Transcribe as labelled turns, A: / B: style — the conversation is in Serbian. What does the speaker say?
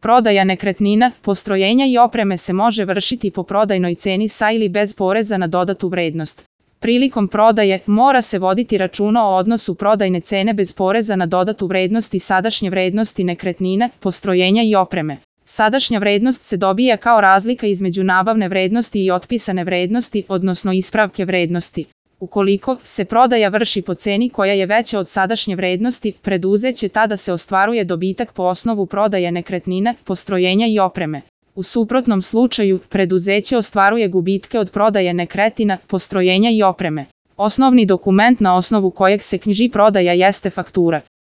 A: Prodaja nekretnina, postrojenja i opreme se može vršiti po prodajnoj ceni sa ili bez poreza na dodatu vrednost. Prilikom prodaje mora se voditi računa o odnosu prodajne cene bez poreza na dodatu vrednost i sadašnje vrednosti nekretnina, postrojenja i opreme. Sadašnja vrednost se dobija kao razlika između nabavne vrednosti i otpisane vrednosti, odnosno ispravke vrednosti. Ukoliko se prodaja vrši po ceni koja je veća od sadašnje vrednosti, preduzeće tada se ostvaruje dobitak po osnovu prodaje nekretnina, postrojenja i opreme. U suprotnom slučaju, preduzeće ostvaruje gubitke od prodaje nekretnina, postrojenja i opreme. Osnovni dokument na osnovu kojeg se knjiži prodaja jeste faktura.